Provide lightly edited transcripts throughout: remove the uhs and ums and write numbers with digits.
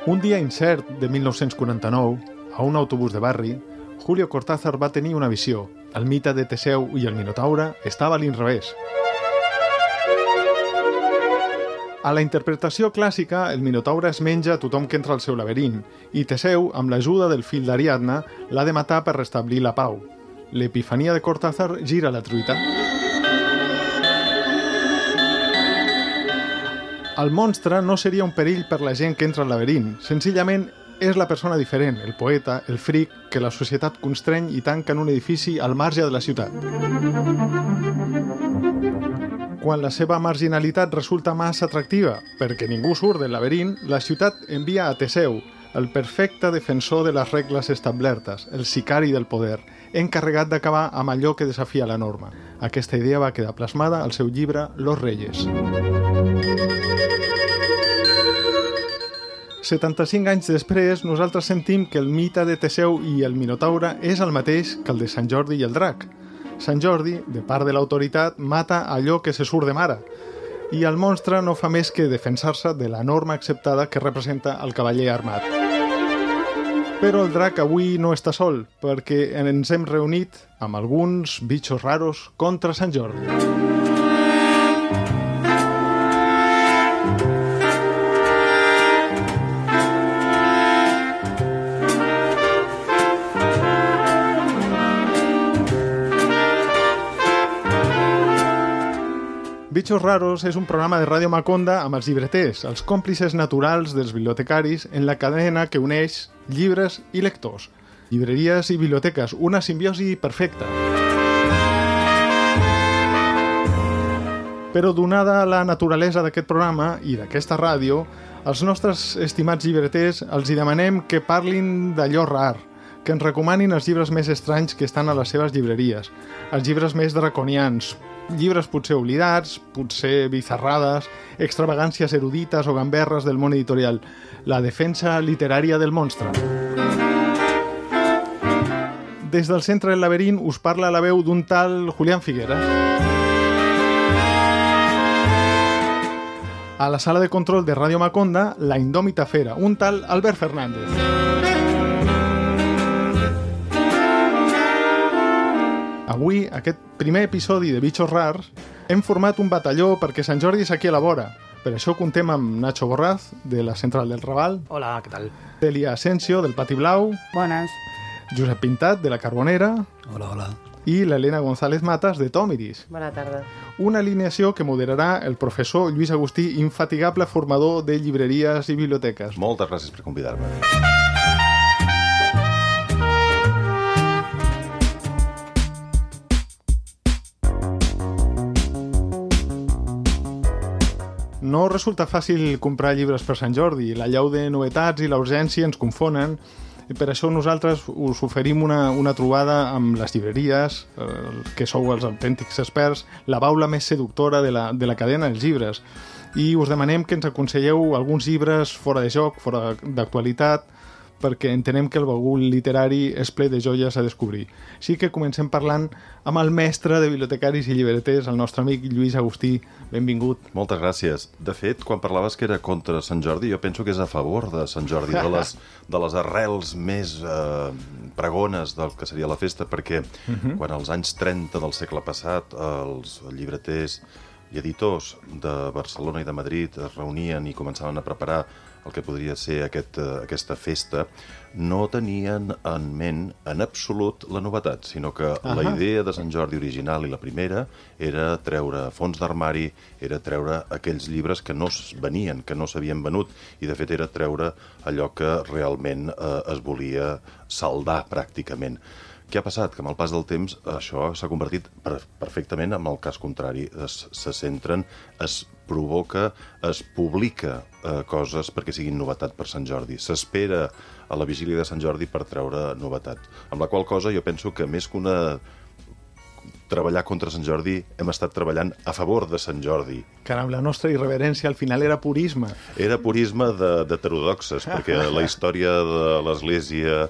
Un dia incert de 1949, a un autobús de barri, Julio Cortázar va tenir una visió. El mite de Teseu i el Minotaure estava a l'inrevés. A la interpretació clàssica, el Minotaure es menja a tothom que entra al seu laberint i Teseu, amb l'ajuda del fill d'Ariadna, l'ha de matar per restablir la pau. L'epifania de Cortázar gira la truita. El monstre no seria un perill per la gent que entra al laberint. Senzillament és la persona diferent, el poeta, el fric, que la societat constreny i tanca en un edifici al marge de la ciutat. Quan la seva marginalitat resulta massa atractiva, perquè ningú surt del laberint, la ciutat envia a Teseu, el perfecte defensor de les regles establertes, el sicari del poder, encarregat d'acabar amb allò que desafia la norma. Aquesta idea va quedar plasmada al seu llibre Los Reyes. 75 anys després, nosaltres sentim que el mite de Teseu i el Minotaure és el mateix que el de Sant Jordi i el drac. Sant Jordi, de part de l'autoritat, mata allò que se surt de mare, i el monstre no fa més que defensar-se de la norma acceptada que representa el cavaller armat. Però el drac avui no està sol, perquè ens hem reunit amb alguns bitxos raros contra Sant Jordi. Bitxos Raros és un programa de Ràdio Maconda amb els llibreters, els còmplices naturals dels bibliotecaris en la cadena que uneix llibres i lectors. Llibreries i biblioteques, una simbiosi perfecta. Però donada la naturalesa d'aquest programa i d'aquesta ràdio, als nostres estimats llibreters els hi demanem que parlin d'allò rar, que ens recomanin els llibres més estranys que estan a les seves llibreries, els llibres més draconians, llibres potser oblidats, potser bizarrades, extravagàncies erudites o gamberres del món editorial. La defensa literària del monstre. Des del centre del laberint us parla la veu d'un tal Julián Figueras. A la sala de control de Ràdio Maconda, la indòmita fera, un tal Albert Fernández. Avui, aquest primer episodi de Bitxos Rars, hem format un batalló perquè Sant Jordi és aquí a la vora. Per això contem amb Nacho Borraz, de la Central del Raval. Hola, què tal? Celia Asensio, del Pati Blau. Bones. Josep Pintat, de la Carbonera. Hola, hola. I l'Helena González Matas, de Tòmiris. Bona tarda. Una alineació que moderarà el professor Lluís Agustí, infatigable formador de llibreries i biblioteques. Moltes gràcies per convidar-me. No resulta fàcil comprar llibres per Sant Jordi. La llau de novetats i la urgència ens confonen. I per això nosaltres us oferim una trobada amb les llibreries, que sou els autèntics experts, la baula més seductora de la cadena dels llibres. I us demanem que ens aconselleu alguns llibres fora de joc, fora d'actualitat, perquè entenem que el bagul literari és ple de joies a descobrir. Així que comencem parlant amb el mestre de bibliotecaris i llibreters, el nostre amic Lluís Agustí. Benvingut. Moltes gràcies. De fet, quan parlaves que era contra Sant Jordi, jo penso que és a favor de Sant Jordi, de les arrels més pregones del que seria la festa, perquè quan als anys 30 del segle passat els llibreters i editors de Barcelona i de Madrid es reunien i començaven a preparar el que podria ser aquesta festa, no tenien en ment en absolut la novetat, sinó que la idea de Sant Jordi original i la primera era treure fons d'armari, era treure aquells llibres que no es venien, que no s'havien venut, i de fet era treure allò que realment es volia saldar pràcticament. Què ha passat? Que amb el pas del temps això s'ha convertit perfectament en el cas contrari. Se centren, es provoca, es publica coses perquè siguin novetat per Sant Jordi. S'espera a la vigília de Sant Jordi per treure novetat. Amb la qual cosa jo penso que més que una treballar contra Sant Jordi, hem estat treballant a favor de Sant Jordi. Caram, la nostra irreverència al final era purisme. Era purisme d'heterodoxes, perquè la història de l'Església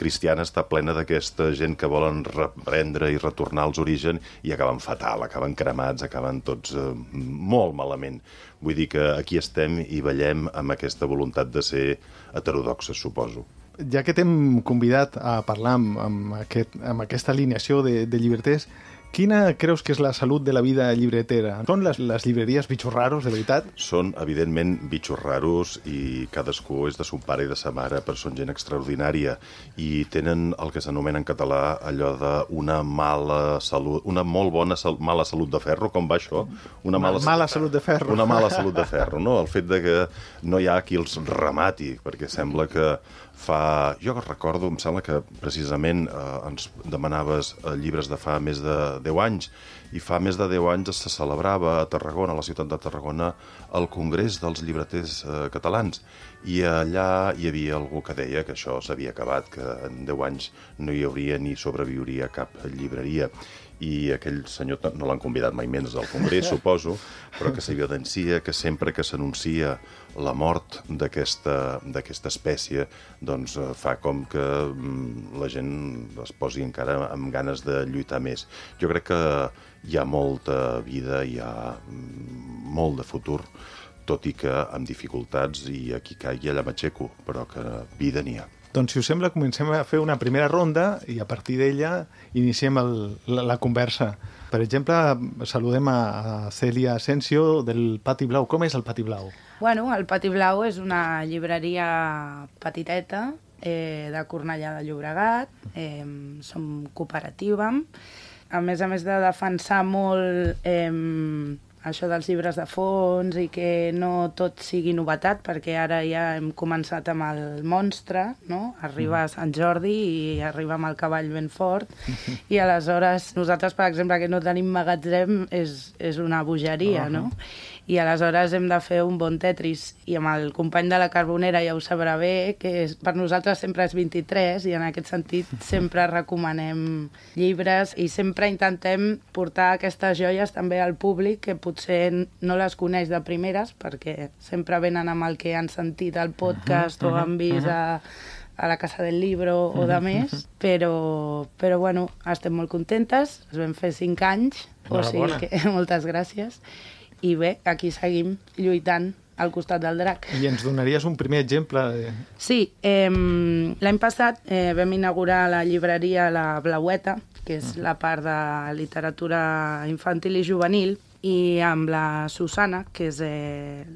cristiana està plena d'aquesta gent que volen reprendre i retornar als orígens i acaben fatal, acaben cremats, acaben tots molt malament. Vull dir que aquí estem i ballem amb aquesta voluntat de ser heterodoxes, suposo. Ja que t'hem convidat a parlar amb aquesta alineació de llibreters, quina creus que és la salut de la vida llibretera? Són les llibreries bitxos raros, de veritat? Són, evidentment, bitxos raros i cadascú és de son pare i de sa mare, però són gent extraordinària i tenen el que s'anomena en català allò d'una mala salut, una molt bona mala salut de ferro, com va això? Mala salut de ferro. Una mala salut de ferro, no? El fet de que no hi ha qui els remati, perquè sembla que jo recordo, em sembla que precisament ens demanaves llibres de fa més de 10 anys, i fa més de 10 anys se celebrava a Tarragona, a la ciutat de Tarragona, el Congrés dels Llibreters Catalans, i allà hi havia algú que deia que això s'havia acabat, que en 10 anys no hi hauria ni sobreviuria cap llibreria. I aquell senyor no l'han convidat mai menys al Congrés, suposo, però que s'evidencia que sempre que s'anuncia la mort d'aquesta espècie, doncs fa com que la gent es posi encara amb ganes de lluitar més. Jo crec que hi ha molta vida, hi ha molt de futur, tot i que amb dificultats i aquí caigui allà m'aixeco, però que vida n'hi ha. Doncs, si us sembla, comencem a fer una primera ronda i a partir d'ella iniciem la conversa. Per exemple, saludem a Cèlia Asensio del Pati Blau. Com és el Pati Blau? Bueno, el Pati Blau és una llibreria petiteta de Cornellà de Llobregat. Som cooperativa. A més de defensar molt això dels llibres de fons i que no tot sigui novetat, perquè ara ja hem començat amb el monstre, no? Arriba a Sant Jordi i arriba amb el cavall ben fort, i aleshores nosaltres, per exemple, que no tenim magatzem, és una bogeria, no? I aleshores hem de fer un bon Tetris, i amb el company de la Carbonera ja ho sabrà bé, que per nosaltres sempre és 23, i en aquest sentit sempre recomanem llibres i sempre intentem portar aquestes joies també al públic que potser no les coneix de primeres, perquè sempre venen amb el que han sentit al podcast o han vist a la Casa del Libro o de més, però bueno, estem molt contentes, es vam fer 5 anys, o sigui que moltes gràcies. I bé, aquí seguim lluitant al costat del drac. I ens donaries un primer exemple? Sí, l'any passat vam inaugurar la llibreria La Blaueta, que és la part de literatura infantil i juvenil, i amb la Susana, que és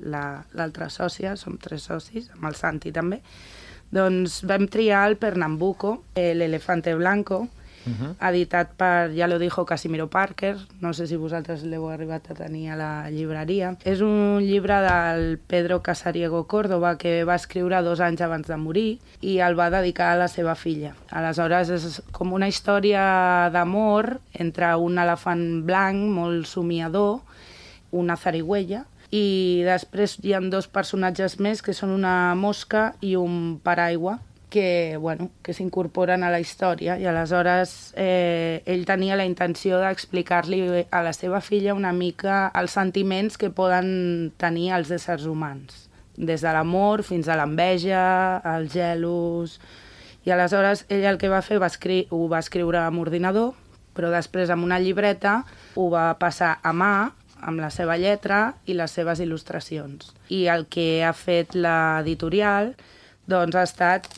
l'altra sòcia, som 3 socis, amb el Santi també, doncs vam triar el Pernambuco, l'Elefante Blanco, editat per, ja lo dijo, Casimiro Parker, no sé si vosaltres l'heu arribat a tenir a la llibreria. És un llibre del Pedro Casariego Córdoba que va escriure 2 anys abans de morir i el va dedicar a la seva filla. Aleshores és com una història d'amor entre un elefant blanc molt somiador, una zarigüeya, i després hi ha 2 personatges més que són una mosca i un paraigua que s'incorporen a la història, i aleshores ell tenia la intenció d'explicar-li a la seva filla una mica els sentiments que poden tenir els éssers humans, des de l'amor fins a l'enveja, els gelos. I aleshores ell el que va fer ho va escriure amb ordinador, però després amb una llibreta ho va passar a mà, amb la seva lletra i les seves il·lustracions. I el que ha fet l'editorial doncs ha estat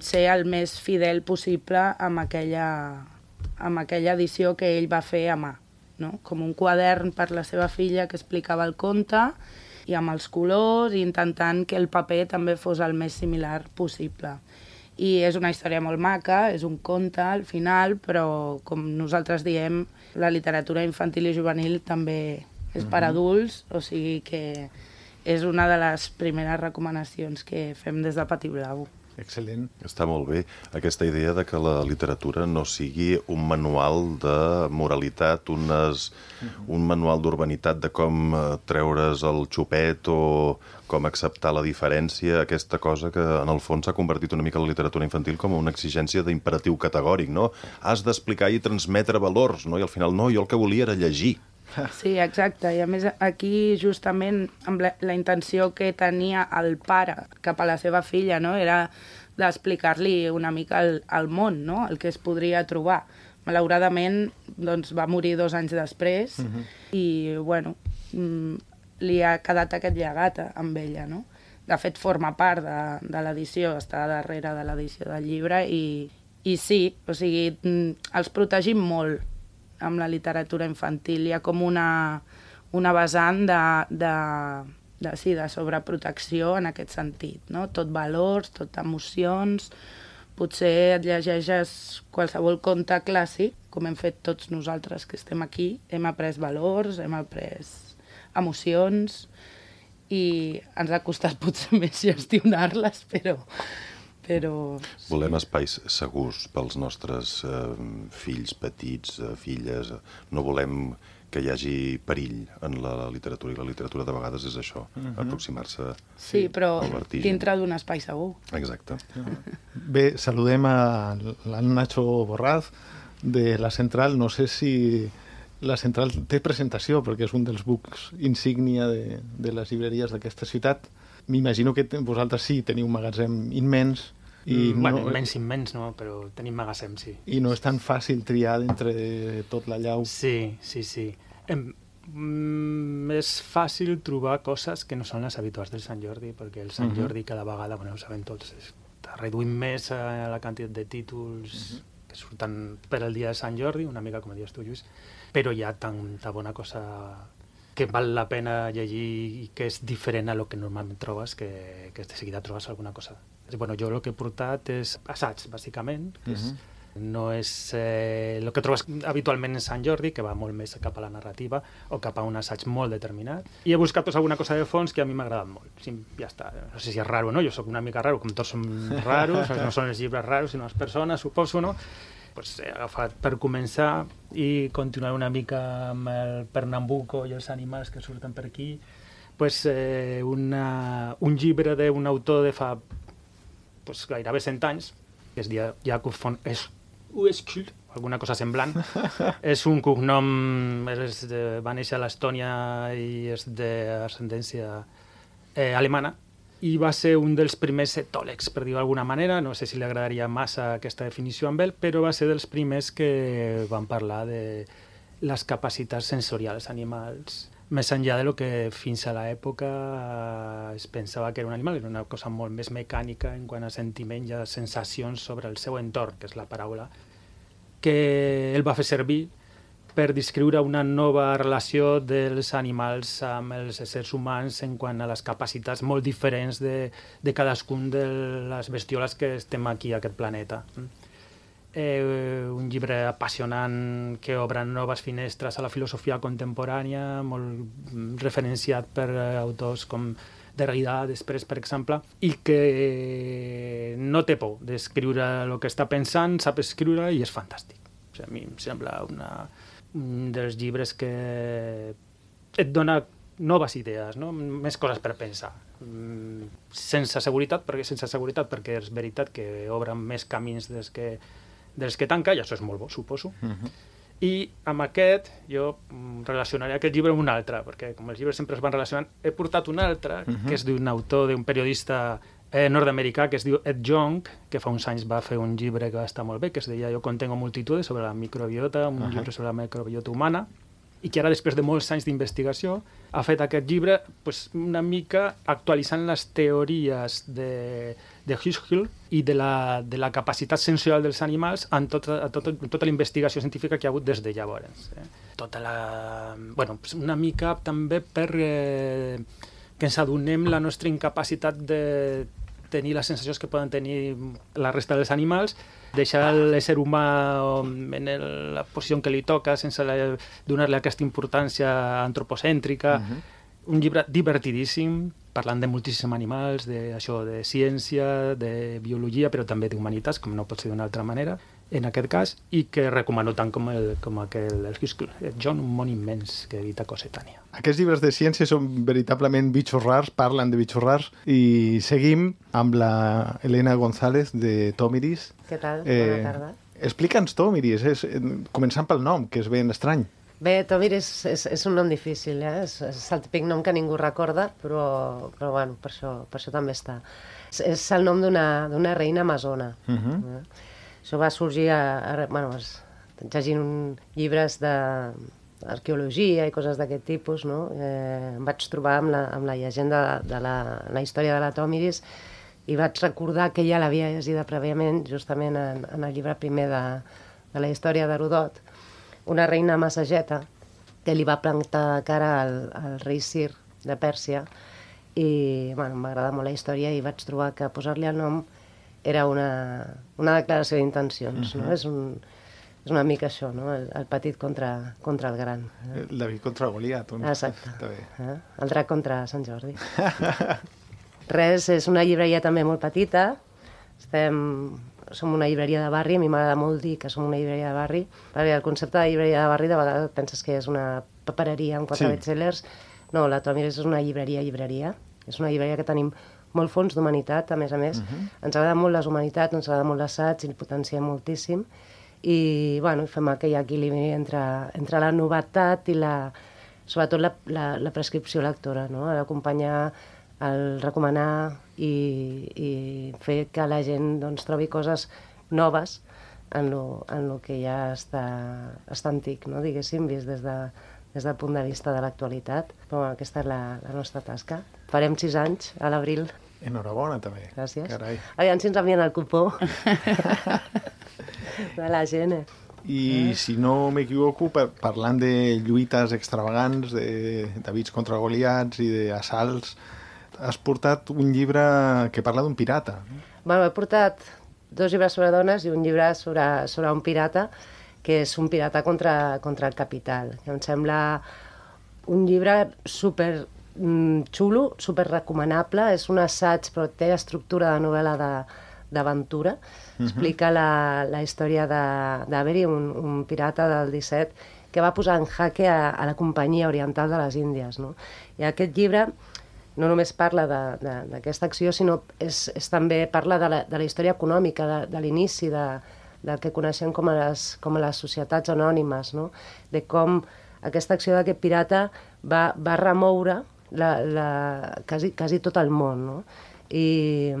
ser el més fidel possible amb aquella edició que ell va fer a mà, no? Com un quadern per la seva filla que explicava el conte i amb els colors, i intentant que el paper també fos el més similar possible. I és una història molt maca, és un conte al final, però com nosaltres diem, la literatura infantil i juvenil també és per adults, o sigui que és una de les primeres recomanacions que fem des de Pati Blau. Excel·lent. Està molt bé aquesta idea de que la literatura no sigui un manual de moralitat, un manual d'urbanitat de com treure's el xupet o com acceptar la diferència, aquesta cosa que en el fons s'ha convertit una mica la literatura infantil com una exigència d'imperatiu categòric, no? Has d'explicar i transmetre valors, no? I al final no, jo el que volia era llegir. Sí, exacte, i a més aquí justament amb la intenció que tenia el pare cap a la seva filla, no? Era d'explicar-li una mica el món, no? El que es podria trobar. Malauradament, doncs, va morir 2 anys després i, bueno, li ha quedat aquest llegat amb ella, no? De fet, forma part de l'edició, està darrere de l'edició del llibre i sí, o sigui, els protegim molt amb la literatura infantil. Hi ha com una vessant de sobreprotecció en aquest sentit, no? Tot valors, tot emocions. Potser et llegeixes qualsevol conte clàssic, com hem fet tots nosaltres que estem aquí, hem après valors, hem après emocions i ens ha costat potser més gestionar-les, però... Volem espais segurs pels nostres fills petits, filles. No volem que hi hagi perill en la literatura, i la literatura de vegades és això, aproximar-se sí, però al vertigen. dintre d'un espai segur. Exacte. Bé, saludem a Nacho Borraz de La Central. No sé si La Central té presentació, perquè és un dels books insígnia de les llibreries d'aquesta ciutat. M'imagino que vosaltres sí teniu un magatzem immens. Bueno, immens no, però tenim magatzem, sí. I no és tan fàcil triar d'entre tot l'allau. Sí. És fàcil trobar coses que no són les habituals del Sant Jordi, perquè el Sant Jordi cada vegada, bueno, ho sabem tots, està reduint més la quantitat de títols que surten per al dia de Sant Jordi, una mica com dius tu, Lluís, però hi ha tanta bona cosa que val la pena llegir i que és diferent a lo que normalment trobes, que de seguida trobes alguna cosa. Bueno, jo el que he portat és assaig, bàsicament, que no és el que trobes habitualment en Sant Jordi, que va molt més cap a la narrativa o cap a un assaig molt determinat. I he buscat alguna cosa de fons que a mi m'ha agradat molt. Sí, ja està. No sé si és raro o no, jo sóc una mica raro, com tots som raros, no són els llibres raros, sinó les persones, suposo, no? Pues he agafat per començar i continuar una mica amb el Pernambuco i els animals que surten per aquí. Pues, un llibre d'un autor de fa gairebé 100 anys, que es diu Jacob von Uexküll, alguna cosa semblant. És un cognom, va néixer a l'Estònia i és d'ascendència alemana, i va ser un dels primers etòlegs, per dir-ho d'alguna manera. No sé si li agradaria massa aquesta definició amb ell, però va ser dels primers que van parlar de les capacitats sensorials animals, més enllà de lo que fins a l'època es pensava que era un animal, era una cosa molt més mecànica en quant a sentiment i a sensacions sobre el seu entorn, que és la paraula que ell va fer servir per descriure una nova relació dels animals amb els éssers humans en quant a les capacitats molt diferents de cadascun de les bestioles que estem aquí a aquest planeta. Un llibre apassionant que obre noves finestres a la filosofia contemporània, molt referenciat per autors com Derrida, després, per exemple, i que no té por d'escriure el que està pensant, sap escriure i és fantàstic. O sigui, a mi em sembla un dels llibres que et dona noves idees, no? Més coses per pensar. Sense seguretat, perquè és veritat que obren més camins dels que tanca, i això és molt bo, suposo. I amb aquest jo relacionaré aquest llibre amb un altre, perquè com els llibres sempre es van relacionant, he portat un altre, que és d'un autor, d'un periodista nord-americà que es diu Ed Yong, que fa uns anys va fer un llibre que va estar molt bé, que es deia Jo contengo multitudes, sobre la microbiota, un llibre sobre la microbiota humana, i que ara, després de molts anys d'investigació, ha fet aquest llibre una mica actualitzant les teories de Huxley i de la capacitat sensorial dels animals en tota la investigació científica que hi ha hagut des de llavors. Una mica també per que ens adonem la nostra incapacitat de tenir les sensacions que poden tenir la resta dels animals, deixar l'ésser humà en la posició en què li toca sense donar-li aquesta importància antropocèntrica, Un llibre divertidíssim, parlant de moltíssims animals, de ciència, de biologia, però també d'humanitats, com no pot ser d'una altra manera, en aquest cas, i que recomano tant com el John, un món immens, que edita Cossetània. Aquests llibres de ciència són veritablement bitxos rars, parlen de bitxos rars, i seguim amb la Elena González de Tòmiris. Què tal? Bona tarda. Explica'ns Tòmiris, començant pel nom, que és ben estrany. Bé, Tòmiris és un nom difícil, és el típic nom que ningú recorda, però bueno, per això també està. És el nom d'una reina amazona. Això va sorgir llegint llibres d'arqueologia i coses d'aquest tipus, no? Em vaig trobar amb la llegenda de la història de la Tòmiris i vaig recordar que ja l'havia llegida prèviament, justament en el llibre primer de la història d'Herodot, una reina massageta que li va plantar cara al rei Cir de Pèrsia i m'agrada molt la història i vaig trobar que posar-li el nom era una declaració d'intencions, no? És una mica això, no? El petit contra el gran. El David contra Goliat. Exacte. El drac contra Sant Jordi. Res, és una llibreria també molt petita. Som una llibreria de barri, a mi m'agrada molt dir que som una llibreria de barri, perquè el concepte de llibreria de barri de vegades penses que és una papereria amb 4 bestsellers. No, la Tòmiris és una llibreria. És una llibreria que tenim molt fons d'humanitat, a més. Ens agrada molt les humanitats, ens agrada molt l'assaig, i el potenciem moltíssim. I fem aquell equilibri entre la novetat i sobretot la prescripció lectora, no? L'acompanyar, el recomanar i fer que la gent trobi coses noves en lo que ja està antic, no? Diguéssim, vist des del punt de vista de l'actualitat. Però aquesta és la nostra tasca. Farem 6 anys a l'abril. Enhorabona, també. Gràcies. Carai. Aviam si ens envien el cupó de la gent. I si no m'equivoco, parlant de lluites extravagants, de Davids contra Goliats i d'assalts, has portat un llibre que parla d'un pirata. He portat 2 llibres sobre dones i un llibre sobre un pirata, que és un pirata contra el capital. Em sembla un llibre super xulo, super recomanable, és un assaig però té estructura de novel·la d'aventura. Explica la història d'Avery, un pirata del 17 que va posar en jaque a la Companyia Oriental de les Índies, no? I aquest llibre no només parla d'aquesta acció, sinó també parla de la història econòmica, de l'inici del que coneixem com a les societats anònimes, no? De com aquesta acció d'aquest pirata va remoure quasi tot el món, no? I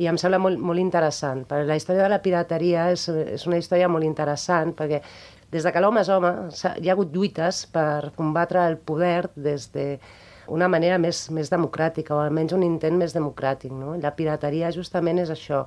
em sembla molt interessant, perquè la història de la pirateria és una història molt interessant, perquè des que l'home és home hi ha hagut lluites per combatre el poder des d'una manera més democràtica, o almenys un intent més democràtic, no? La pirateria justament és això.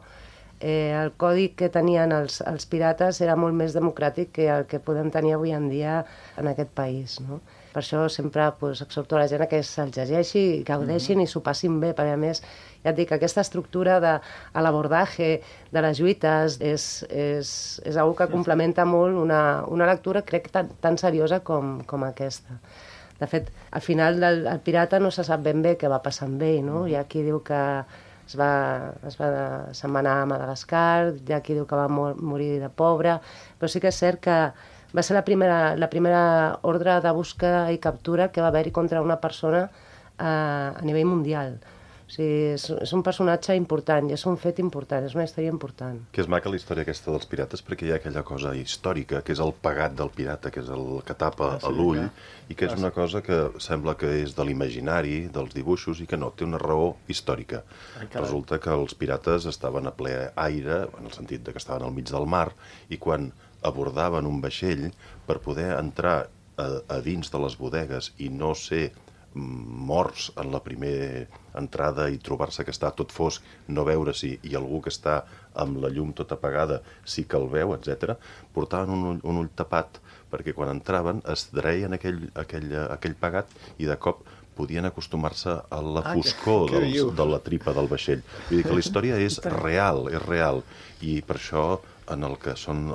El codi que tenien els pirates era molt més democràtic que el que podem tenir avui en dia en aquest país, no? Per això sempre exhorto a la gent que se'l llegeixi, que gaudeixin i s'ho passin bé, perquè a més, ja et dic, aquesta estructura de l'abordatge de les lluites és una que complementa molt una lectura, crec, tan seriosa com aquesta. De fet, al final del pirata no se sap ben bé què va passar amb ell, no? Hi ha qui diu que se'n va anar a Madagascar, hi ha qui diu que va morir de pobre, però sí que és cert que va ser la primera ordre de busca i captura que va haver-hi contra una persona a nivell mundial. O sigui, és un personatge important i és un fet important, és una història important. Que és maca la història aquesta dels pirates perquè hi ha aquella cosa històrica, que és el pegat del pirata, que és el que tapa l'ull, i que és una cosa que sembla que és de l'imaginari, dels dibuixos, i que no, té una raó històrica. Resulta que els pirates estaven a ple aire, en el sentit que estaven al mig del mar, i quan abordaven un vaixell per poder entrar a dins de les bodegues i no ser morts en la primera entrada i trobar-se que està tot fosc, no veure-s'hi, i algú que està amb la llum tota apagada sí que el veu, etc., portaven un ull tapat perquè quan entraven es dreien aquell pegat i de cop podien acostumar-se a la foscor de la tripa del vaixell. Vull dir que la història és real, i per això en el que són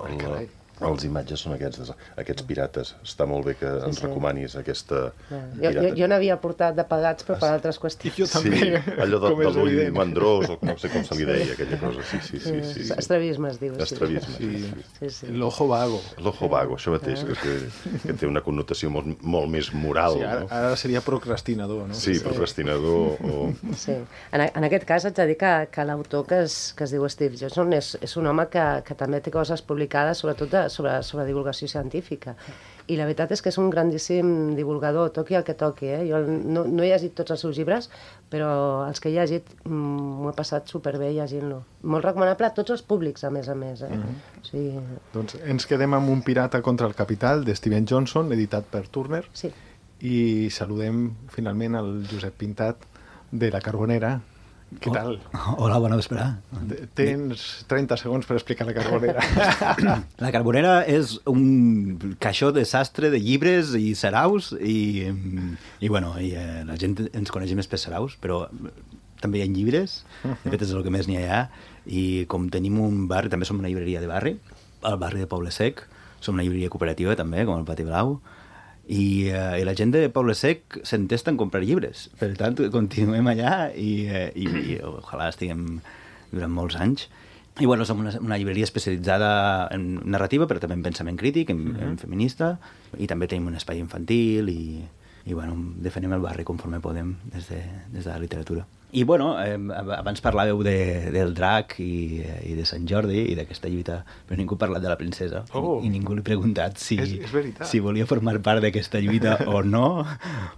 Els imatges són aquests pirates. Està molt bé que ens recomanis aquesta pirata. Jo n'havia portat de pagats, però per altres qüestions. Jo també. Sí, allò de l'ull mandrós, o no sé com se li deia, aquella cosa. Sí. Estrabisme es diu. Estrabisme. Sí. L'ojo vago. L'ojo vago, això mateix, que té una connotació molt més moral. Sí, ara seria procrastinador, no? Sí, procrastinador o... Sí. En aquest cas haig de dir que l'autor que es diu Steve Johnson és un home que també té coses publicades, sobretot sobre divulgació científica. I la veritat és que és un grandíssim divulgador, toqui el que toqui. Jo no he llegit tots els seus llibres, però els que he llegit m'ho he passat superbé llegint-lo. Molt recomanable a tots els públics, a més. Sí. Doncs ens quedem amb Un pirata contra el capital, de Steven Johnson, editat per Turner. Sí. I saludem finalment el Josep Pintat, de La Carbonera. Què tal? Hola, bona vesprada. Tens 30 segons per explicar La Carbonera. La Carbonera és un caixó de sastre de llibres i saraus i la gent ens coneix més per saraus, però també hi ha llibres, de fet és el que més n'hi ha, i com tenim un barri, també som una llibreria de barri, al barri de Poble Sec, som una llibreria cooperativa també, com el Pati Blau, i la gent de Poble Sec s'entesta en comprar llibres. Per tant, continuem allà i ojalà estiguem durant molts anys. I bueno, som una llibreria especialitzada en narrativa, però també en pensament crític, en feminista, i també tenim un espai infantil i bueno, defenem el barri conforme podem des de la literatura. I bueno, abans parlàveu del drac i de Sant Jordi i d'aquesta lluita, però ningú ha parlat de la princesa i ningú li ha preguntat si volia formar part d'aquesta lluita o no,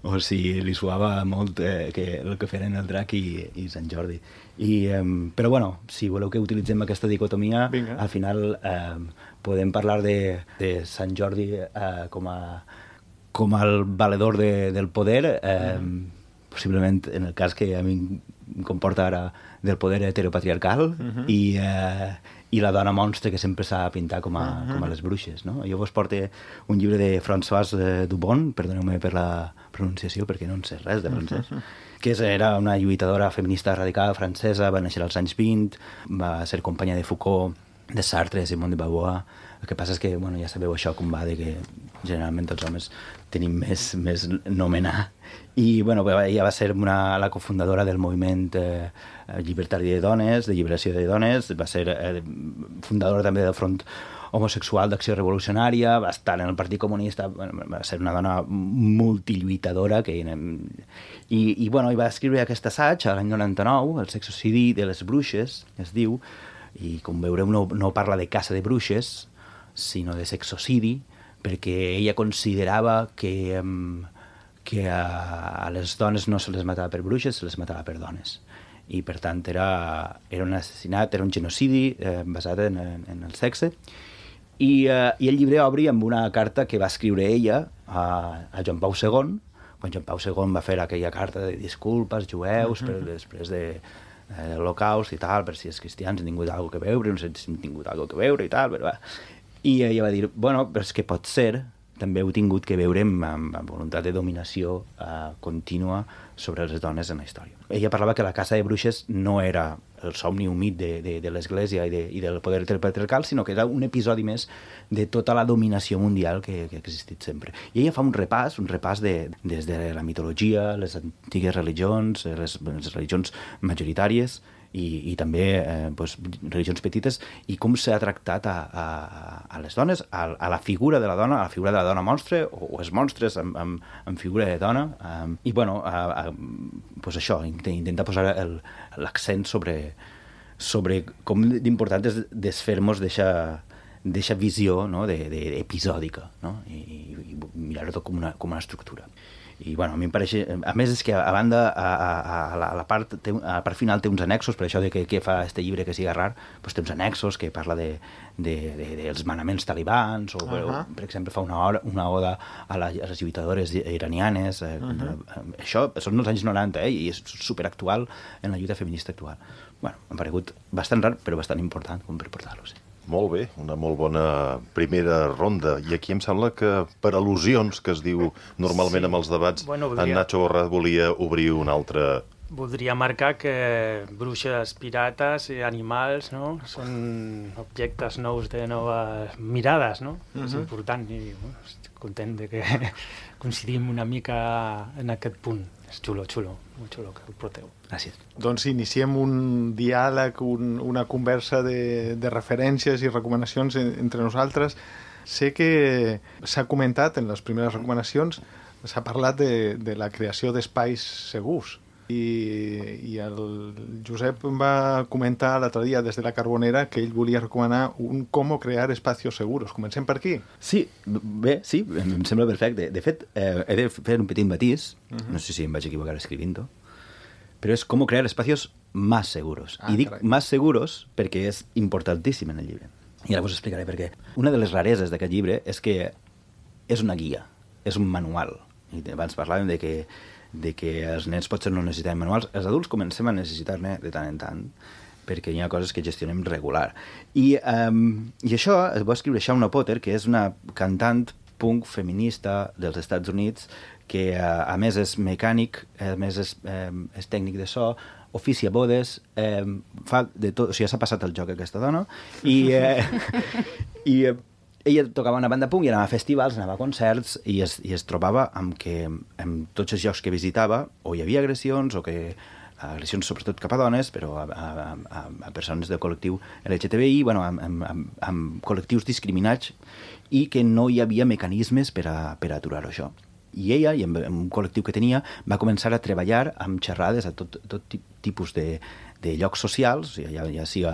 o si li suava molt el que feren el drac i Sant Jordi. Però bueno, si voleu que utilitzem aquesta dicotomia, al final podem parlar de Sant Jordi com el valedor del poder, possiblement en el cas que a mi em comporta ara del poder heteropatriarcal i la dona monstre que sempre s'ha de pintar com a les bruixes, no? Jo vos porto un llibre de Françoise Dubon, perdoneu-me per la pronunciació perquè no en sé res de francès, que era una lluitadora feminista radical francesa, va néixer als anys 20, va ser companya de Foucault, de Sartre, de Simone de Beauvoir. El que passa és que, bueno, ja sabeu això com va, de que generalment els homes tenim més nomenar. I, bueno, ella va ser la cofundadora del moviment llibertari de dones, de lliberació de dones, va ser fundadora també del Front Homosexual d'Acció Revolucionària, va estar en el Partit Comunista, va ser una dona multilluitadora i va escriure aquest assaig l'any 99, el sexocidi de les bruixes, es diu, i com veureu no parla de caça de bruixes, sinó de sexocidi, perquè ella considerava que a les dones no se les matava per bruixes, se les matava per dones. I per tant era un assassinat, era un genocidi basat en el sexe. I el llibre obri amb una carta que va escriure ella a Joan Pau II, quan Joan Pau II va fer aquella carta de disculpes jueus després de l'Holocaust i tal, per si els cristians han tingut alguna que veure, no sé si han tingut alguna que veure i tal, però va. I ella va dir, bueno, però és que pot ser, també heu tingut que veure amb voluntat de dominació contínua sobre les dones en la història. Ella parlava que la caça de bruixes no era el somni humit de l'Església i del poder patriarcal, sinó que era un episodi més de tota la dominació mundial que ha existit sempre. I ella fa un repàs des de la mitologia, les antigues religions, les religions majoritàries, i també religions petites, i com s'ha tractat a les dones, a la figura de la dona, a la figura de la dona monstre, o els monstres en figura de dona, i bueno, això, intentar posar l'accent sobre com d'important és desfer-nos d'eixa visió, no?, episòdica, no?, i mirar-ho tot com una estructura. I, bueno, a mi em pareix... A més, és que a banda, a la part final té uns annexos, per això de què fa este llibre que siga rar, doncs té uns annexos que parla dels manaments talibans, o, per exemple, fa una oda a les lluitadores iranianes. Això són els anys 90, i és superactual en la lluita feminista actual. Bueno, m'ha paregut bastant rar, però bastant important com per portar-lo, sí. Molt bé, una molt bona primera ronda. I aquí em sembla que per al·lusions, que es diu normalment amb els debats, en Nacho Borràs volia obrir un altre Voldria marcar que bruixes, pirates i animals, no? Són objectes nous de noves mirades, no? És important i estic content de que coincidim una mica en aquest punt. És xulo, molt xulo que ho porteu. Gràcies. Doncs iniciem un diàleg, una conversa de referències i recomanacions entre nosaltres. Sé que s'ha comentat en les primeres recomanacions, s'ha parlat de la creació d'espais segurs. I el Josep em va comentar l'altre dia des de la Carbonera que ell volia recomanar un com crear espacios seguros. Comencem per aquí? Sí, bé, sí, em sembla perfecte. De fet, he de fer un petit matís, no sé si em vaig equivocar escrivint-ho, però és com crear espacios más seguros. I dic más seguros perquè és importantíssim en el llibre. I ara us explicaré per què. Una de les rareses d'aquest llibre és que és una guia, és un manual. I abans parlàvem de que els nens potser no necessitaven manuals, els adults comencem a necessitar-ne de tant en tant, perquè hi ha coses que gestionem regular. I això es va escriure Shauna Potter, que és una cantant punk feminista dels Estats Units, que a més és mecànic, a més és tècnic de so, oficia bodes, fa de tot, o sigui, s'ha passat el joc aquesta dona, i ella tocava una banda punk i anava a festivals, anava a concerts i es trobava amb que en tots els llocs que visitava o hi havia agressions o que agressions sobretot cap a dones, però a persones del col·lectiu LGTBI, bueno, amb col·lectius discriminats i que no hi havia mecanismes per aturar-ho això. I ella, i amb un col·lectiu que tenia, va començar a treballar amb xerrades a tot tipus de llocs socials, ja sigui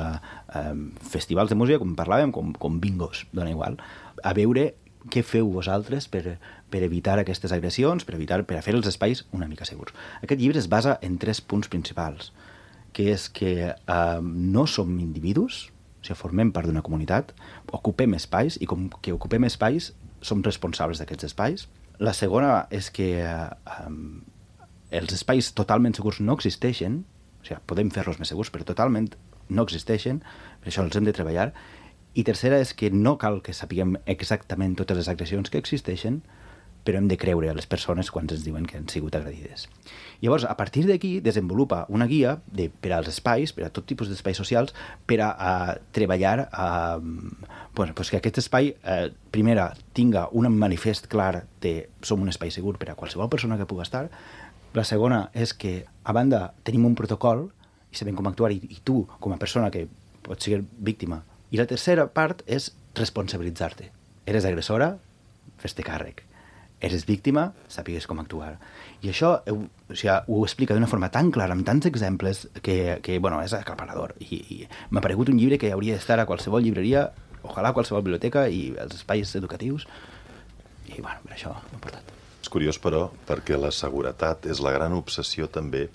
festivals de música, com parlàvem, com bingos, dona igual, a veure què feu vosaltres per evitar aquestes agressions, per a fer els espais una mica segurs. Aquest llibre es basa en 3 punts principals, que és que no som individus, o sigui, formem part d'una comunitat, ocupem espais, i com que ocupem espais, som responsables d'aquests espais. La segona és que els espais totalment segurs no existeixen, o sigui, podem fer-los més segurs, però totalment no existeixen, per això els hem de treballar. I tercera és que no cal que sapiguem exactament totes les agressions que existeixen, però hem de creure a les persones quan ens diuen que han sigut agredides. Llavors, a partir d'aquí, desenvolupa una guia per als espais, per a tot tipus d'espais socials, per a treballar que aquest espai, primera, tinga un manifest clar de som un espai segur per a qualsevol persona que pugui estar. La segona és que, a banda, tenim un protocol i sabem com actuar, i tu, com a persona que pot ser víctima. I la tercera part és responsabilitzar-te. Eres agressora? Fes-te càrrec. Eres víctima? Sàpigues com actuar. I això ho explica d'una forma tan clara, amb tants exemples, que és aclaparador. I m'ha paregut un llibre que hauria d'estar a qualsevol llibreria, ojalà a qualsevol biblioteca i als espais educatius. I, per això m'ha portat. És curiós, però, perquè la seguretat és la gran obsessió també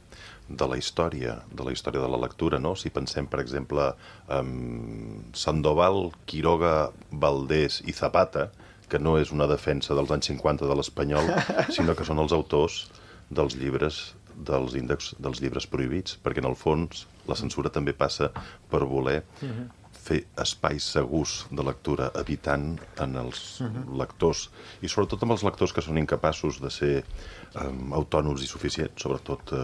de la història de la lectura, no? Si pensem, per exemple, en Sandoval, Quiroga, Valdés i Zapata, que no és una defensa dels anys 50 de l'espanyol, sinó que són els autors dels llibres dels índexs dels llibres prohibits, perquè en el fons la censura també passa per voler fer espais segurs de lectura, evitant en els lectors, i sobretot amb els lectors que són incapaços de ser autònoms i suficients, sobretot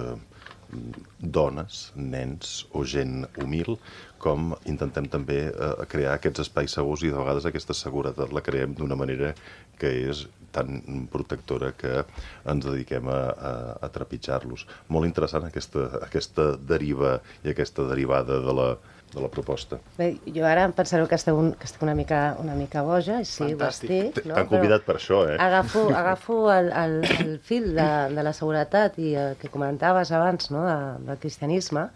dones, nens o gent humil, com intentem també crear aquests espais segurs, i de vegades aquesta seguretat la creem d'una manera que és tan protectora que ens dediquem a trepitjar-los. Molt interessant aquesta deriva i aquesta derivada de la proposta. Bé, jo ara em pensareu que estic una mica boja, i sí, ho estic. T'han convidat per això, eh? Agafo el fil de la seguretat i el que comentaves abans, no?, del cristianisme,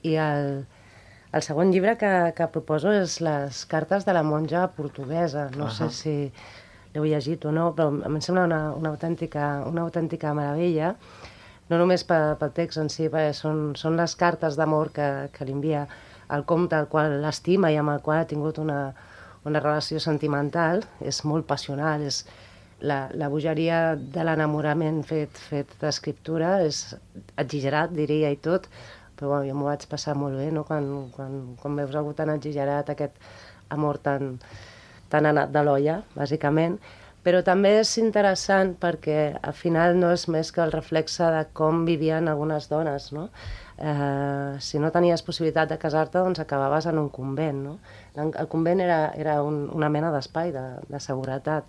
i el segon llibre que proposo és Les cartes de la monja portuguesa. No sé si l'heu llegit o no, però em sembla una autèntica meravella, no només pel text en si, perquè són les cartes d'amor que li envia el comte, al qual l'estima i amb el qual ha tingut una relació sentimental. És molt passional, és la bogeria de l'enamorament fet d'escriptura, és exagerat, diria, i tot, però jo m'ho vaig passar molt bé, no?, quan veus algú tan exagerat, aquest amor tan anat de l'olla, bàsicament. Però també és interessant perquè al final no és més que el reflexe de com vivien algunes dones, no? Si no tenies possibilitat de casar-te, doncs acabaves en un convent, no? El convent era una mena d'espai de seguretat.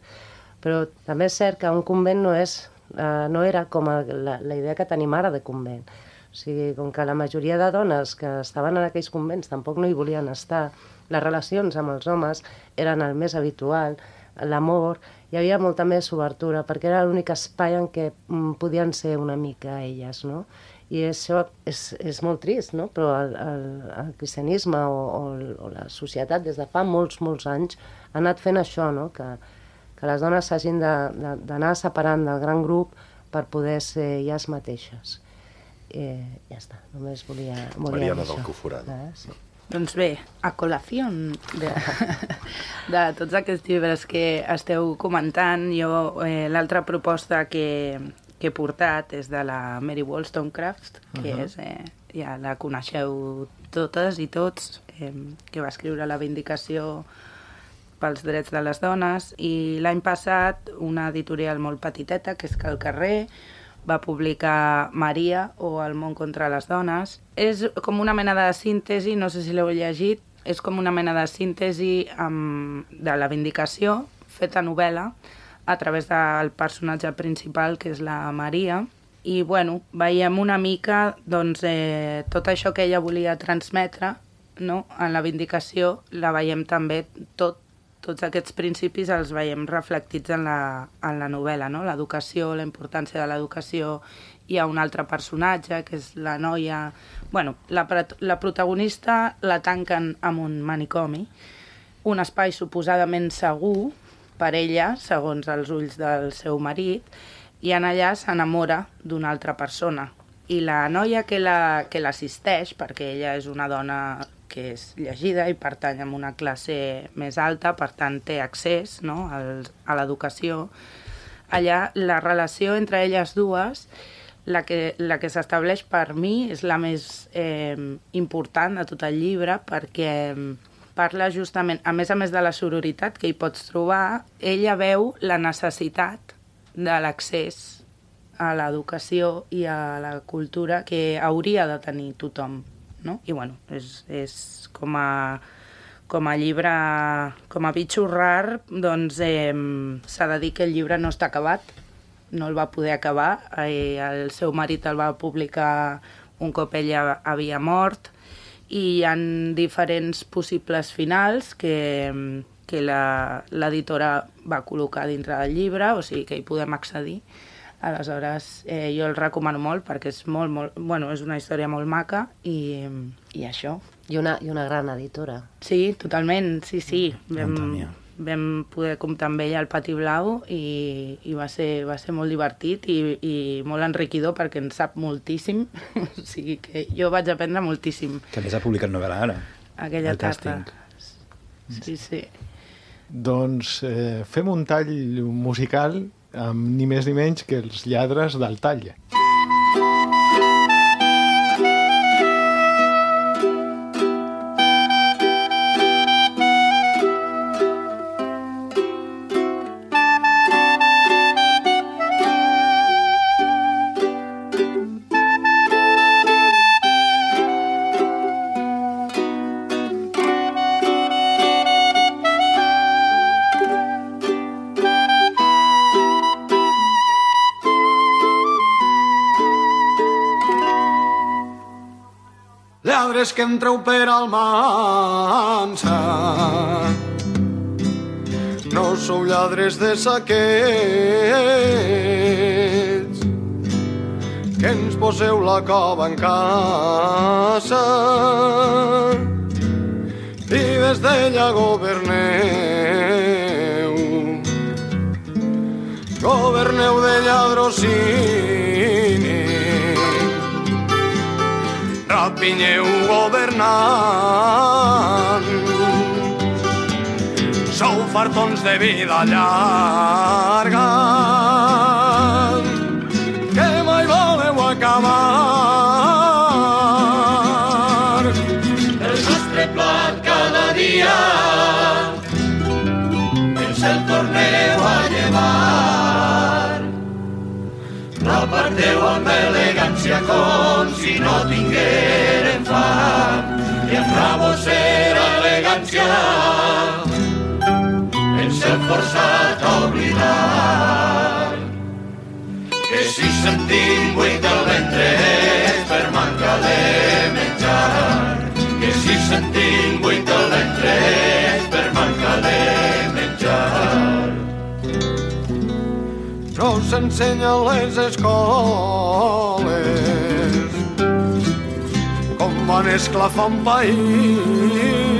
Però també és cert que un convent no era com la idea que tenim ara de convent. O sigui, com que la majoria de dones que estaven en aquells convents tampoc no hi volien estar, les relacions amb els homes eren el més habitual, l'amor, hi havia molta més obertura, perquè era l'únic espai en què podien ser una mica elles, no? I això és molt trist, no? Però el cristianisme o la societat des de fa molts anys ha anat fent això, no? Que les dones s'hagin d'anar separant del gran grup per poder ser elles mateixes. Ja està, només volia Mariana dir del això. Coforat. Sí. Doncs bé, a col·lació de tots aquests llibres que esteu comentant, jo l'altra proposta que he portat és de la Mary Wollstonecraft, que ja la coneixeu totes i tots, que va escriure La Vindicació pels drets de les dones, i l'any passat una editorial molt petiteta, que és Cal Carrer, va publicar Maria o El món contra les dones. És com una mena de síntesi, no sé si l'heu llegit, és com una mena de síntesi de La Vindicació, feta novel·la, a través del personatge principal, que és la Maria. I, bueno, veiem una mica doncs, tot això que ella volia transmetre, no? En La Vindicació la veiem també tots aquests principis els veiem reflectits en la novel·la, no? L'educació, la importància de l'educació. Hi ha un altre personatge, que és la noia... Bueno, la protagonista la tanquen en un manicomi, un espai suposadament segur per ella, segons els ulls del seu marit, i en allà s'enamora d'una altra persona. I la noia que l'assisteix, perquè ella és una dona que és llegida i pertany a una classe més alta, per tant té accés, no?, a l'educació. Allà la relació entre elles dues, la que s'estableix per mi, és la més important de tot el llibre, perquè parla justament, a més de la sororitat que hi pots trobar, ella veu la necessitat de l'accés a l'educació i a la cultura que hauria de tenir tothom, no? I bueno, és com a llibre, com a bitxo rar, doncs s'ha de dir que el llibre no està acabat, no el va poder acabar, el seu marit el va publicar un cop ella havia mort, i hi ha diferents possibles finals que l'editora va col·locar dintre del llibre, o sigui que hi podem accedir. Aleshores, jo el recomano molt perquè és és una història molt maca i això. I una gran editora. Sí, totalment, sí. Vam poder comptar amb ella al Pati Blau i va ser molt divertit i molt enriquidor perquè en sap moltíssim. O sigui que jo vaig aprendre moltíssim. Que a més ha publicat novel·la ara. Aquella tarda. Sí. Doncs fem un tall musical amb ni més ni menys que els Lladres del Tall. Lladres que entreu per Almansa, no sou lladres de saquets, que ens poseu la cova en casa i des d'ella governeu de lladrocini. Rapinyeu governant, sou fartons de vida llarga, que mai voleu acabar. El nostre plat cada dia ens el torneu a llevar. aparteu amb elegància com si no tingueren fam, i amb la vostra elegància ens hem forçat a oblidar que si sentim buit el ventre és per manca de menjar, que si sentim buit el ventre és per manca de menjar. No s'ensenya a les escoles com van esclafar un país,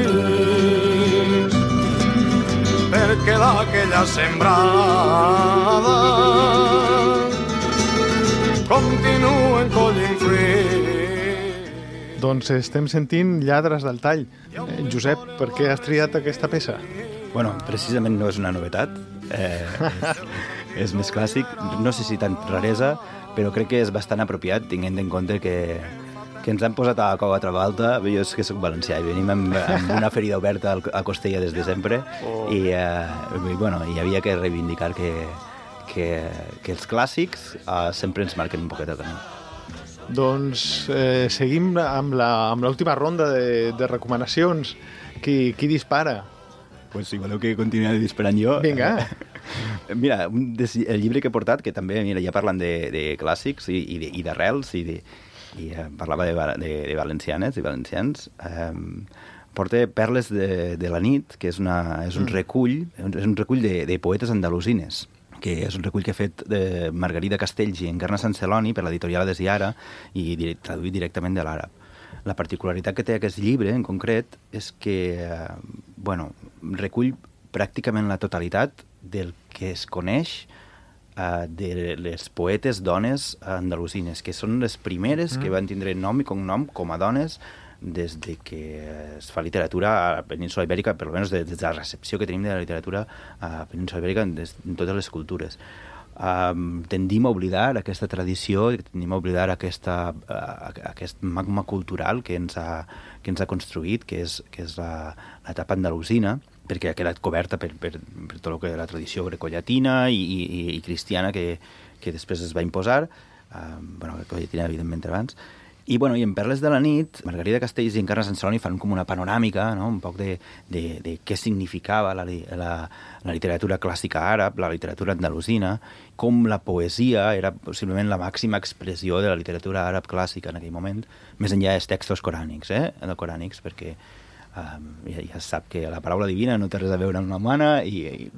perquè d'aquella sembrada continuen collint fruit. Doncs estem sentint Lladres del Tall. Josep, per què has triat aquesta peça? Bueno, precisament no és una novetat. És més clàssic. No sé si tant raresa, però crec que és bastant apropiat, tenint en compte que ens han posat a la cova altra volta. Jo és que soc valencià i venim amb una ferida oberta a Costella des de sempre i bueno, hi havia que reivindicar que els clàssics sempre ens marquen un poquet el camí. Doncs seguim amb l'última ronda de recomanacions. Qui dispara? Pues si voleu que continuï disparant jo... Vinga. Mira, el llibre que he portat, que també ja parlen de clàssics i d'arrels, i parlava de valencianes i valencians, porta Perles de la nit, que és un recull de poetes andalusines, que és un recull que ha fet Margarida Castells i Encarna Sant Celoni per l'editorial Desiara i traduït directament de l'àrab. La particularitat que té aquest llibre, en concret, és que recull pràcticament la totalitat del que es coneix de les poetes dones andalusines, que són les primeres que van tindre nom i cognom com a dones des de que es fa literatura a la península Ibèrica, per almenys des de la recepció que tenim de la literatura a la península Ibèrica en totes les cultures. Tendim a oblidar aquesta tradició, tendim a oblidar aquest magma cultural que ens ha construït, que és l'etapa andalusina, perquè ha quedat coberta per tot el que la tradició grecollatina i cristiana que després es va imposar, grecollatina evidentment abans. I en Perles de la nit, Margarida Castells i Encarna Sant Celoni fan com una panoràmica, no? Un poc de què significava la literatura clàssica àrab, la literatura andalusina, com la poesia era possiblement la màxima expressió de la literatura àrab clàssica en aquell moment, més enllà dels textos corànics, perquè ja es sap que la paraula divina no té res a veure amb la humana,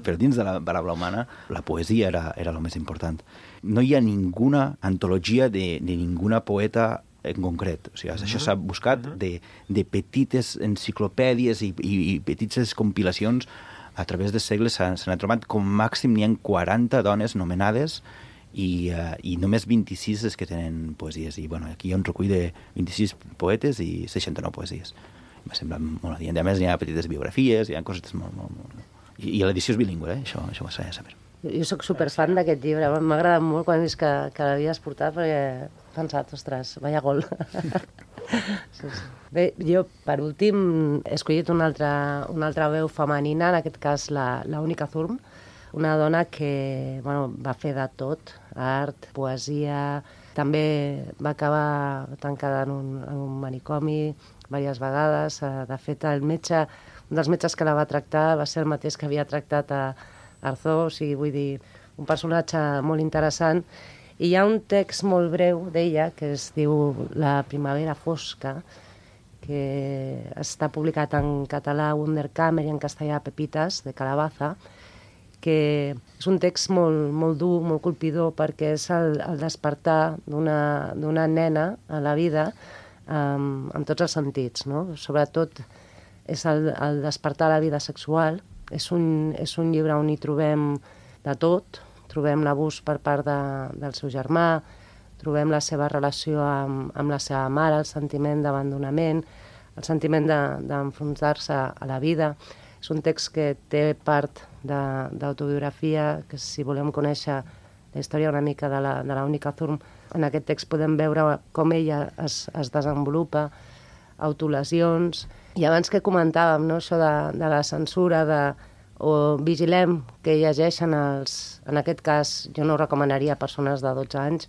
però dins de la paraula humana la poesia era el més important. No hi ha ninguna antologia de ninguna poeta en concret. O sigui, això s'ha buscat de petites enciclopèdies i petites compilacions a través dels segles. Se n'ha trobat com màxim n'hi ha 40 dones nomenades i només 26 les que tenen poesies. I aquí hi ha un recull de 26 poetes i 69 poesies. M'ha semblat molt adient. A més, hi ha petites biografies, hi ha cosetes molt... I l'edició és bilingüe, això ho s'ha de saber. Jo sóc superfan d'aquest llibre. M'ha agradat molt quan he vist que l'havies portat perquè he pensat, ostres, vaya gol. Sí. Bé, jo, per últim, he escollit una altra veu femenina, en aquest cas la Única Zurm, una dona que va fer de tot, art, poesia, també va acabar tancada en un manicomi diverses vegades. De fet, un dels metges que la va tractar va ser el mateix que havia tractat a Arzó, o sigui, vull dir, un personatge molt interessant. I hi ha un text molt breu d'ella que es diu La primavera fosca, que està publicat en català Wunderkammer i en castellà Pepitas, de Calabaza, que és un text molt dur, molt colpidor, perquè és el despertar d'una nena a la vida en tots els sentits, no? Sobretot és el despertar a la vida sexual. És un llibre on hi trobem de tot. Trobem l'abús per part del seu germà, trobem la seva relació amb la seva mare, el sentiment d'abandonament, el sentiment d'enfrontar-se a la vida. És un text que té part d'autobiografia, que si volem conèixer la història una mica de la Única Zurm, en aquest text podem veure com ella es desenvolupa, autolesions. I abans que comentàvem, no, això de la censura, o vigilem que llegeixen en aquest cas, jo no ho recomanaria a persones de 12 anys,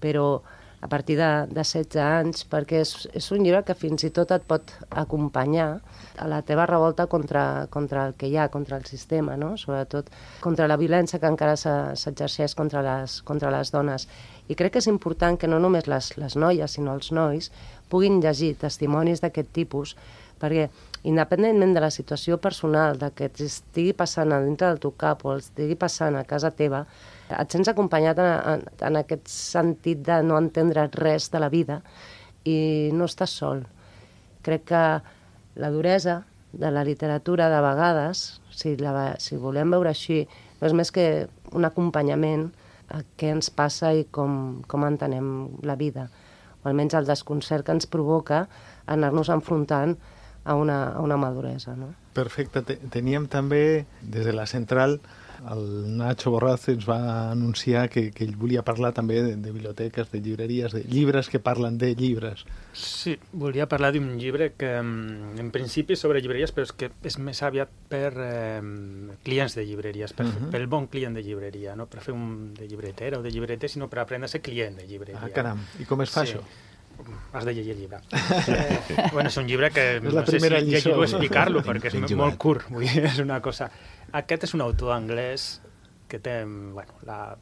però a partir de 16 anys, perquè és un llibre que fins i tot et pot acompanyar a la teva revolta contra el que hi ha, contra el sistema, no? Sobretot contra la violència que encara s'exerceix contra les dones. I crec que és important que no només les noies, sinó els nois, puguin llegir testimonis d'aquest tipus, perquè independentment de la situació personal, de que t'estigui passant a dintre del teu cap o estigui passant a casa teva, et sents acompanyat en aquest sentit de no entendre res de la vida i no estàs sol. Crec que la duresa de la literatura, de vegades, si volem veure així, no és més que un acompanyament a què ens passa i com entenem la vida, o almenys el desconcert que ens provoca anar-nos enfrontant a una maduresa, no? Perfecte. Teníem també, des de la central, el Nacho Borraz ens va anunciar que ell volia parlar també de biblioteques, de llibreries, de llibres que parlen de llibres. Sí, volia parlar d'un llibre que, en principi, sobre llibreries, però és que és més aviat per clients de llibreries, pel bon client de llibreria, no per fer un de llibretera o de llibreter, sinó per aprendre a ser client de llibreria. Ah, caram. I com es fa això? Has de llegir el llibre. Bueno, és un llibre que no sé si llegir-ho o explicar-lo, perquè és molt curt. Vull dir, és una cosa... Aquest és un autor anglès que té la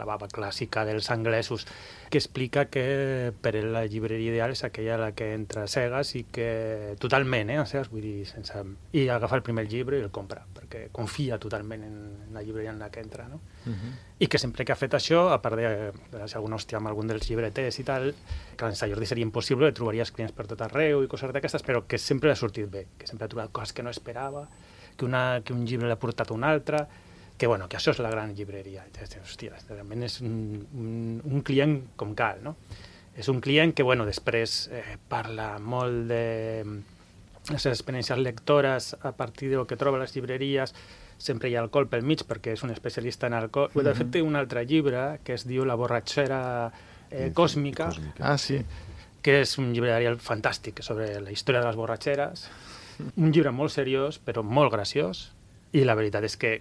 baba clàssica dels anglesos, que explica que per ell la llibreria ideal és aquella a la que entra cegues i que totalment, cegues, vull dir, sense... I agafa el primer llibre i el compra, perquè confia totalment en la llibreria en la que entra, no? I que sempre que ha fet això, a part de si algun hòstia amb algun dels llibreters i tal, que en Sant Jordi seria impossible, trobaries clients per tot arreu i coses d'aquestes, però que sempre l'ha sortit bé, que sempre ha trobat coses que no esperava, que un llibre l'ha portat un altre, que això és la gran llibreria. Hòstia, realment és un client com cal, no? És un client que, després parla molt de les experiències lectores a partir del que troba a les llibreries, sempre hi ha alcohol pel mig perquè és un especialista en alcohol. De fet, té un altre llibre que es diu La borratxera còsmica. Ah, sí. Que és un llibre fantàstic sobre la història de les borratxeres. Un llibre molt seriós, però molt graciós, i la veritat és que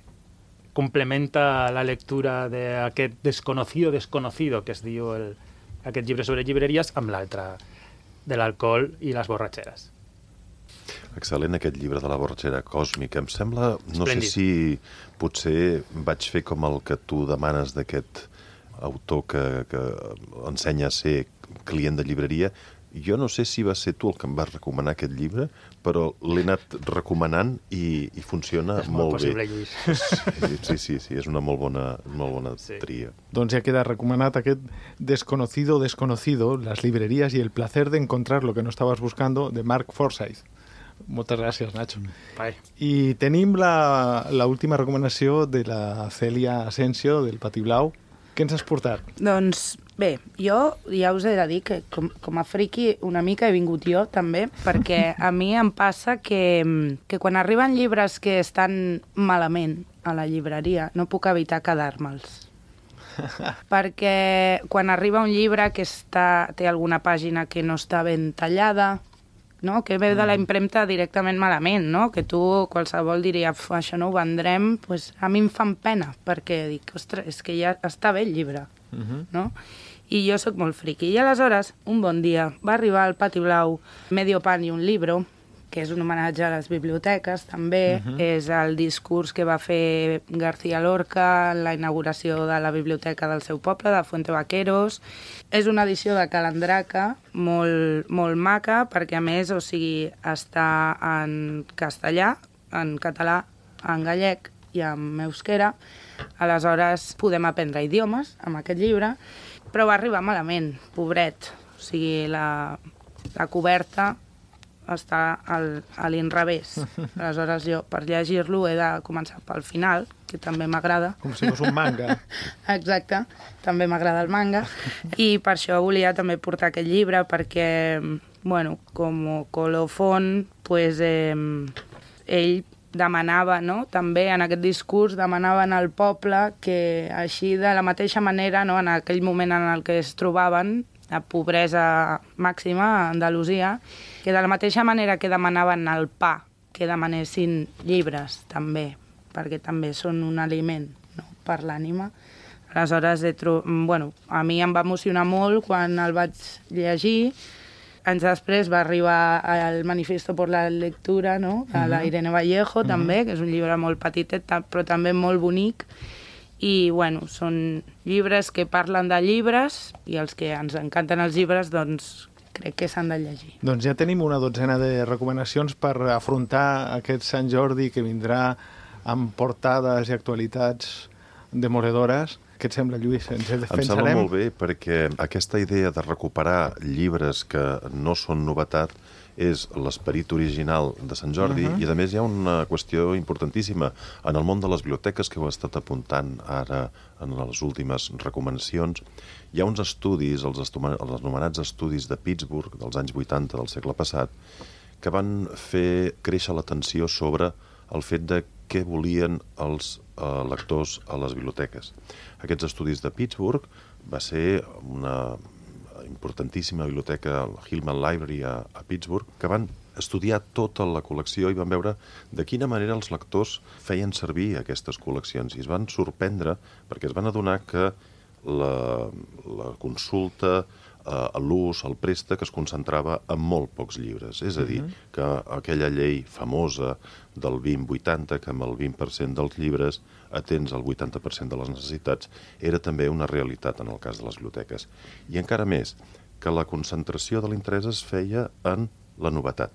complementa la lectura d'aquest desconocido que es diu aquest llibre sobre llibreries amb l'altre, de l'alcohol i les borratxeres. Excel·lent aquest llibre de la borratxera còsmica. Em sembla, no sé si potser vaig fer com el que tu demanes d'aquest autor que ensenya a ser client de llibreria. Jo no sé si va ser tu el que em vas recomanar aquest llibre, però l'he anat recomanant i funciona molt bé. És molt possible, Lluís. Sí, és una molt bona tria. Doncs ja queda recomanat aquest Desconocido, las librerías y el placer de encontrar lo que no estabas buscando, de Mark Forsyth. Moltes gràcies, Nacho. Bye. I tenim la última recomanació de la Cèlia Asensio, del Pati Blau. Què ens has portat? Doncs bé, jo ja us he de dir que com a friki una mica he vingut jo també, perquè a mi em passa que quan arriben llibres que estan malament a la llibreria no puc evitar quedar-me'ls. Perquè quan arriba un llibre que té alguna pàgina que no està ben tallada, no? Que ve de la impremta directament malament, no? Que tu, qualsevol diria, això no ho vendrem, pues a mi em fan pena, perquè dic, ostres, és que ja està bé el llibre, no? I jo sóc molt friqui. I aleshores, un bon dia, va arribar al Pati Blau Medio pan y un libro, que és un homenatge a les biblioteques, també. És el discurs que va fer García Lorca en la inauguració de la biblioteca del seu poble, de Fuente Vaqueros. És una edició de Calandraca molt, molt maca, perquè a més, està en castellà, en català, en gallec i en euskera. Aleshores, podem aprendre idiomes amb aquest llibre, però va arribar malament, pobret. La coberta està a l'inrevés. Aleshores jo, per llegir-lo, he de començar pel final, que també m'agrada. Com si fos un manga. Exacte, també m'agrada el manga. I per això volia també portar aquest llibre, perquè, com colofon, pues, ell demanava, no? També en aquest discurs demanaven al poble que així de la mateixa manera, no? En aquell moment en el que es trobaven, la pobresa màxima a Andalusia, que de la mateixa manera que demanaven el pa que demanessin llibres, també, perquè també són un aliment, no?, per l'ànima. Aleshores, a mi em va emocionar molt quan el vaig llegir. Anys després va arribar el Manifiesto por la Lectura, no?, de la Irene Vallejo, també, que és un llibre molt petitet, però també molt bonic. I, són llibres que parlen de llibres, i els que ens encanten els llibres, doncs, crec que s'han de llegir. Doncs ja tenim una dotzena de recomanacions per afrontar aquest Sant Jordi que vindrà amb portades i actualitats demoledores. Què et sembla, Lluís? Ens defensarem? Em sembla molt bé, perquè aquesta idea de recuperar llibres que no són novetat és l'esperit original de Sant Jordi, i a més hi ha una qüestió importantíssima. En el món de les biblioteques, que ho he estat apuntant ara en les últimes recomanacions, hi ha uns estudis, els anomenats estudis de Pittsburgh, dels anys 80 del segle passat, que van fer créixer l'atenció sobre el fet de què volien els lectors a les biblioteques. Aquests estudis de Pittsburgh va ser una importantíssima biblioteca, el Hillman Library a Pittsburgh, que van estudiar tota la col·lecció i van veure de quina manera els lectors feien servir aquestes col·leccions. I es van sorprendre perquè es van adonar que la consulta, l'ús, el préstec es concentrava en molt pocs llibres. És a dir, que aquella llei famosa del 20-80, que amb el 20% dels llibres atens el 80% de les necessitats, era també una realitat en el cas de les biblioteques. I encara més, que la concentració de l'interès es feia en la novetat.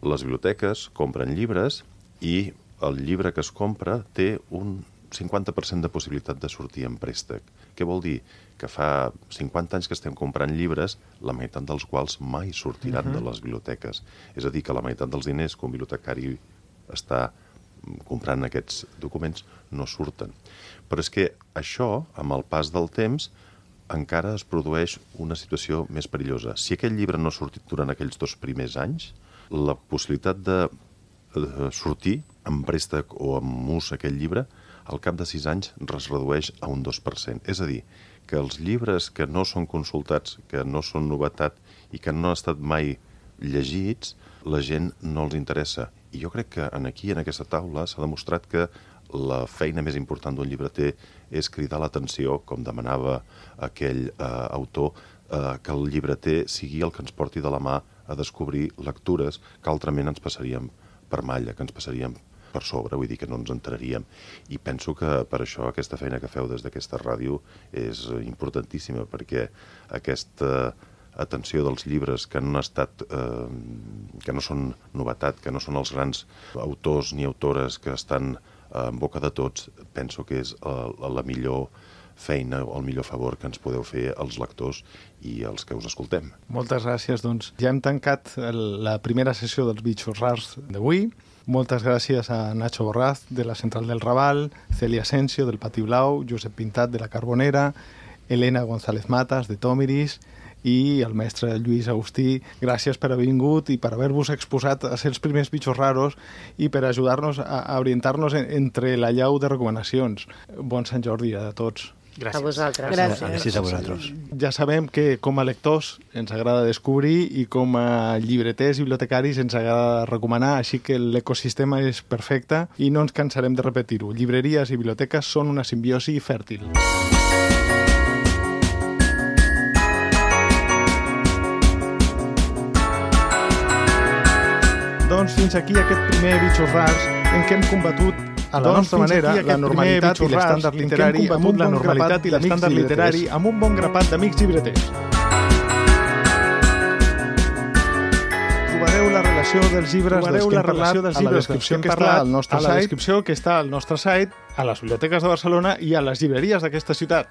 Les biblioteques compren llibres i el llibre que es compra té un 50% de possibilitat de sortir en préstec. Què vol dir? Que fa 50 anys que estem comprant llibres, la meitat dels quals mai sortiran de les biblioteques. És a dir, que la meitat dels diners que un bibliotecari està comprant aquests documents no surten. Però és que això, amb el pas del temps, encara es produeix una situació més perillosa. Si aquell llibre no ha sortit durant aquells 2 primers anys, la possibilitat de sortir en préstec o amb ús aquell llibre, al cap de 6 anys es redueix a un 2%. És a dir, que els llibres que no són consultats, que no són novetat i que no han estat mai llegits, la gent no els interessa. I jo crec que aquí, en aquesta taula, s'ha demostrat que la feina més important d'un llibreter és cridar l'atenció, com demanava aquell autor, que el llibreter sigui el que ens porti de la mà a descobrir lectures que altrament ens passaríem per malla, que ens passaríem per sobre, vull dir que no ens enteraríem. I penso que per això aquesta feina que feu des d'aquesta ràdio és importantíssima, perquè aquesta atenció dels llibres que no han estat, que no són novetat, que no són els grans autors ni autores que estan en boca de tots, penso que és la millor feina o el millor favor que ens podeu fer als lectors i als que us escoltem. Moltes gràcies, doncs. Ja hem tancat la primera sessió dels Bitxos Rars d'avui. Moltes gràcies a Nacho Borraz, de la Central del Raval, Celia Asensio, del Pati Blau, Josep Pintat, de la Carbonera, Elena González Matas, de Tòmiris, i el mestre Lluís Agustí. Gràcies per haver vingut i per haver-vos exposat a ser els primers bitxos raros i per ajudar-nos a orientar-nos entre la llau de recomanacions. Bon Sant Jordi a tots. Gràcies. A vosaltres. Gràcies a vosaltres. Ja sabem que com a lectors ens agrada descobrir i com a llibreters i bibliotecaris ens agrada recomanar, així que l'ecosistema és perfecte i no ens cansarem de repetir-ho. Llibreries i biblioteques són una simbiosi fèrtil. Doncs fins aquí aquest primer Bitxos Rars en què hem combatut a la nostra manera la normalitat i l'estàndard literari amb un bon grapat d'amics llibreters. Trobareu la relació dels llibres dels que hem parlat a la descripció que està al nostre site, a les biblioteques de Barcelona i a les llibreries d'aquesta ciutat.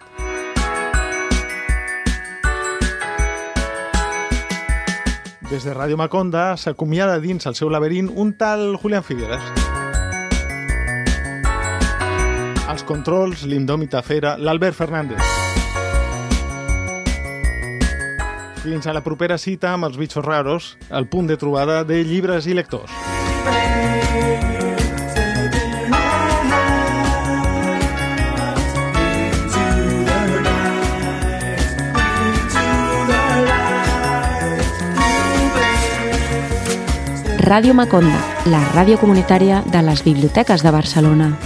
Des de Ràdio Maconda s'acomiada dins el seu laberint un tal Julián Figueras. Els controls, l'indòmita fera, l'Albert Fernández. Fins a la propera cita amb els Bitxos Raros, el punt de trobada de llibres i lectors. Ràdio Maconda, la ràdio comunitària de les biblioteques de Barcelona.